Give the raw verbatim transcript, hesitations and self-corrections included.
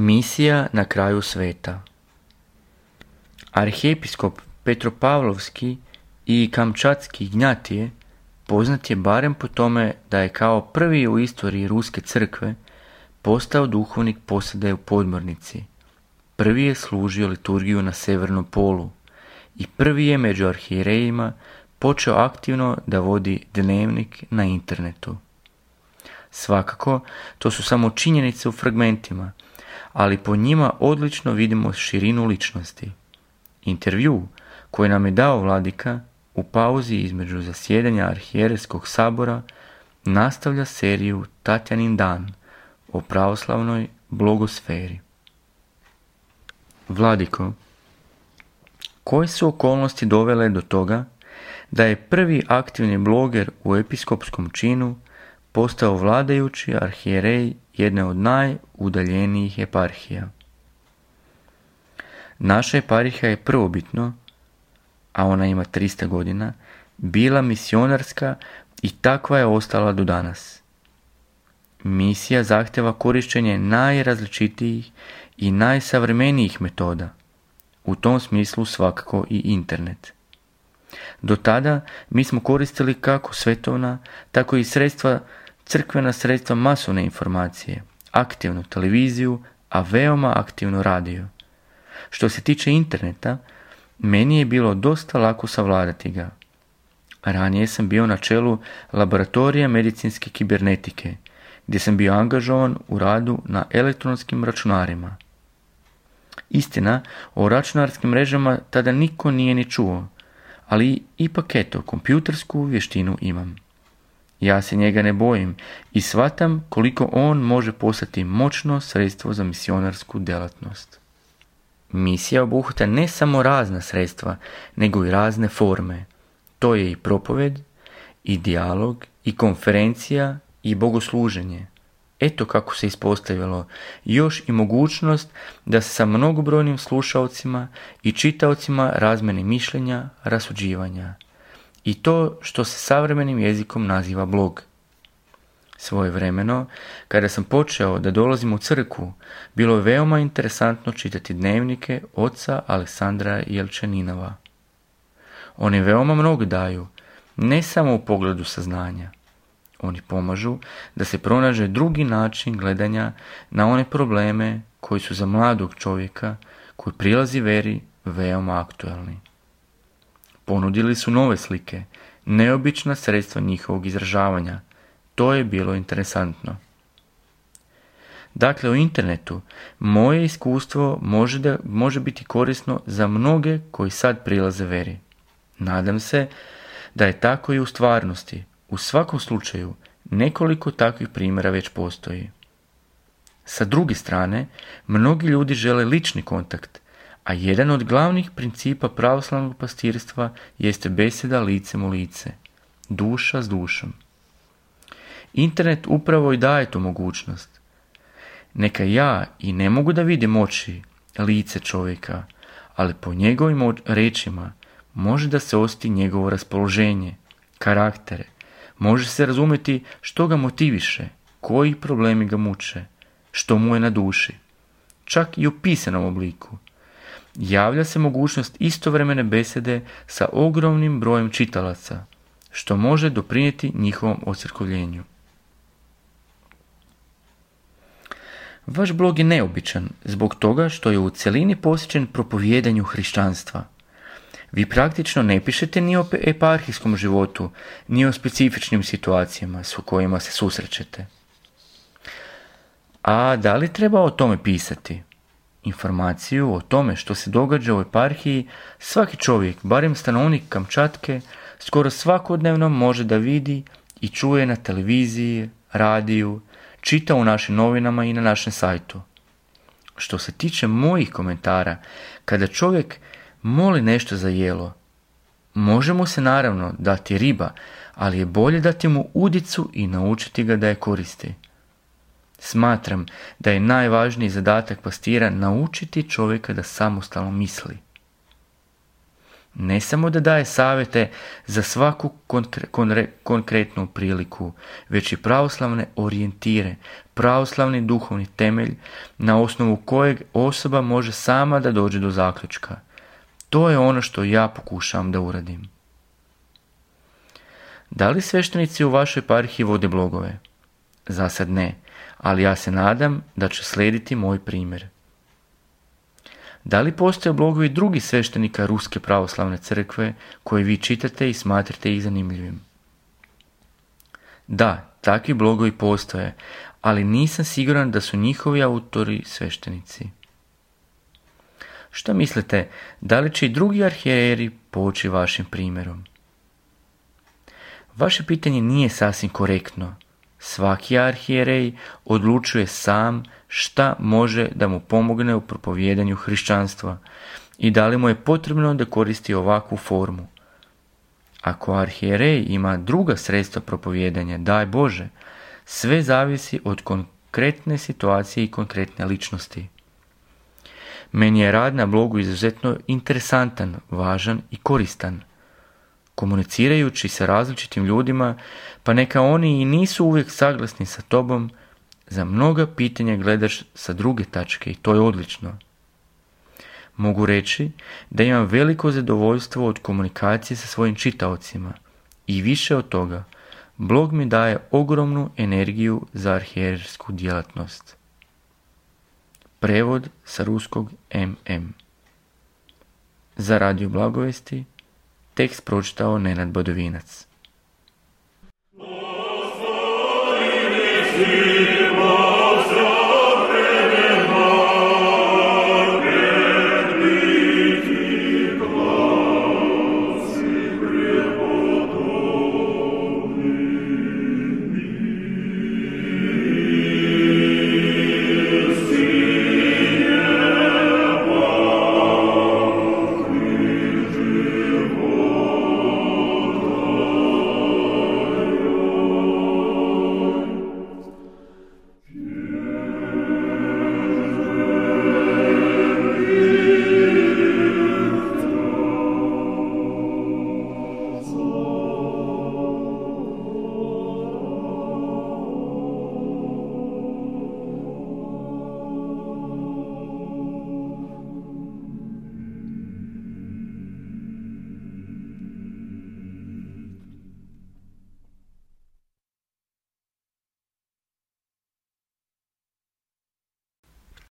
Misija na kraju sveta. Arhiepiskop Petropavlovski i Kamčatski Ignjatije poznat je barem po tome da je kao prvi u istoriji Ruske crkve postao duhovnik posade u podmornici. Prvi je služio liturgiju na Severnom polu i prvi je među arhijerejima počeo aktivno da vodi dnevnik na internetu. Svakako, to su samo činjenice u fragmentima, ali po njima odlično vidimo širinu ličnosti. Intervju koji nam je dao vladika u pauzi između zasjedanja arhijerejskog sabora nastavlja seriju Tatjanin dan o pravoslavnoj blogosferi. Vladiko, koje su okolnosti dovele do toga da je prvi aktivni bloger u episkopskom činu postao vladajući arhijerej jedne od najudaljenijih eparhija? Naša eparhija je prvobitno, a ona ima tristo godina, bila misionarska i takva je ostala do danas. Misija zahtjeva korištenje najrazličitijih i najsavremenijih metoda, u tom smislu svakako i internet. Do tada mi smo koristili kako svetovna, tako i sredstva, crkvena sredstva masovne informacije, aktivnu televiziju, a veoma aktivno radio. Što se tiče interneta, meni je bilo dosta lako savladati ga. Ranije sam bio na čelu laboratorija medicinske kibernetike, gdje sam bio angažovan u radu na elektronskim računarima. Istina, o računarskim mrežama tada niko nije ni čuo, ali ipak eto, kompjutersku vještinu imam. Ja se njega ne bojim i shvatam koliko on može postati moćno sredstvo za misionarsku djelatnost. Misija obuhvata ne samo razna sredstva, nego i razne forme. To je i propoved, i dijalog, i konferencija, i bogosluženje. Eto kako se ispostavilo, još i mogućnost da se sa mnogobrojnim slušaocima i čitaocima razmeni mišljenja, rasuđivanja. I to što se savremenim jezikom naziva blog. Svojevremeno, kada sam počeo da dolazim u crkvu, bilo je veoma interesantno čitati dnevnike oca Aleksandra Jelčaninova. Oni veoma mnogo daju, ne samo u pogledu saznanja. Oni pomažu da se pronađe drugi način gledanja na one probleme koji su za mladog čovjeka koji prilazi veri veoma aktualni. Ponudili su nove slike, neobična sredstva njihovog izražavanja. To je bilo interesantno. Dakle, u internetu moje iskustvo može, da, može biti korisno za mnoge koji sad prilaze veri. Nadam se da je tako i u stvarnosti. U svakom slučaju, nekoliko takvih primjera već postoji. Sa druge strane, mnogi ljudi žele lični kontakt, a jedan od glavnih principa pravoslavnog pastirstva jeste beseda licem u lice, duša s dušom. Internet upravo i daje tu mogućnost. Neka ja i ne mogu da vidim oči, lice čovjeka, ali po njegovim rečima može da se osjeti njegovo raspoloženje, karaktere, može se razumjeti što ga motiviše, koji problemi ga muče, što mu je na duši. Čak i u pisanom obliku. Javlja se mogućnost istovremene besede sa ogromnim brojem čitalaca, što može doprinijeti njihovom ocrkovljenju. Vaš blog je neobičan zbog toga što je u cjelini posvećen propovijedanju hrišćanstva. Vi praktično ne pišete ni o eparhijskom životu, ni o specifičnim situacijama s kojima se susrećete. A da li treba o tome pisati? Informaciju o tome što se događa u eparhiji svaki čovjek, barem stanovnik Kamčatke, skoro svakodnevno može da vidi i čuje na televiziji, radiju, čita u našim novinama i na našem sajtu. Što se tiče mojih komentara, kada čovjek moli nešto za jelo, može mu se naravno dati riba, ali je bolje dati mu udicu i naučiti ga da je koristi. Smatram da je najvažniji zadatak pastira naučiti čovjeka da samostalno misli. ne samo da daje savjete za svaku konkre- konre- konkretnu priliku, već i pravoslavne orijentire, pravoslavni duhovni temelj na osnovu kojeg osoba može sama da dođe do zaključka. To je ono što ja pokušavam da uradim. Da li sveštenici u vašoj eparhiji vode blogove? Za sad ne, ali ja se nadam da će slijediti moj primjer. Da li postoje blogovi drugih sveštenika Ruske pravoslavne crkve koje vi čitate i smatrate ih zanimljivim? Da, takvi blogovi postoje, ali nisam siguran da su njihovi autori sveštenici. Šta mislite, da li će i drugi arhijeri poći vašim primjerom? Vaše pitanje nije sasvim korektno. Svaki arhijerej odlučuje sam šta može da mu pomogne u propovjedanju hrišćanstva i da li mu je potrebno da koristi ovakvu formu. Ako arhijerej ima druga sredstva propovjedanja, daj Bože, sve zavisi od konkretne situacije i konkretne ličnosti. Meni je rad na blogu izuzetno interesantan, važan i koristan. Komunicirajući sa različitim ljudima, pa neka oni i nisu uvijek saglasni sa tobom, za mnoga pitanja gledaš sa druge tačke i to je odlično. Mogu reći da imam veliko zadovoljstvo od komunikacije sa svojim čitaocima i više od toga, blog mi daje ogromnu energiju za arhijersku djelatnost. Prevod sa ruskog em em. Za Radio Blagovesti tekst pročitao Nenad Badovinac. Gospodine,